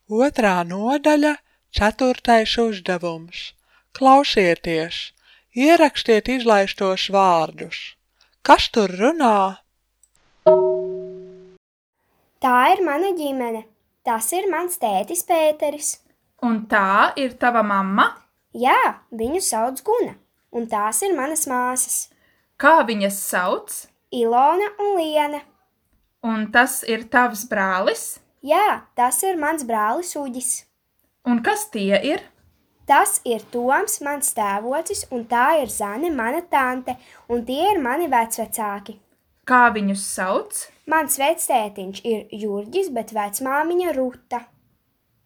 Otrā nodaļa, 4. uzdevums. Klausieties, ierakstiet izlaistos vārdus. Kas tur runā? Tā ir mana ģimene. Tas ir mans tētis Pēteris. Un tā ir tava mamma? Jā, viņu sauc Guna. Un tās ir manas māsas. Kā viņas sauc? Ilona un Liena. Un tas ir tavs brālis? Jā, tas ir mans brālis Uģis. Un kas tie ir? Tas ir Toms, mans tēvocis, un tā ir Zane, mana tante, un tie ir mani vecvecāki. Kā viņus sauc? Mans vectētiņš ir Jurģis, bet vecmāmiņa Ruta.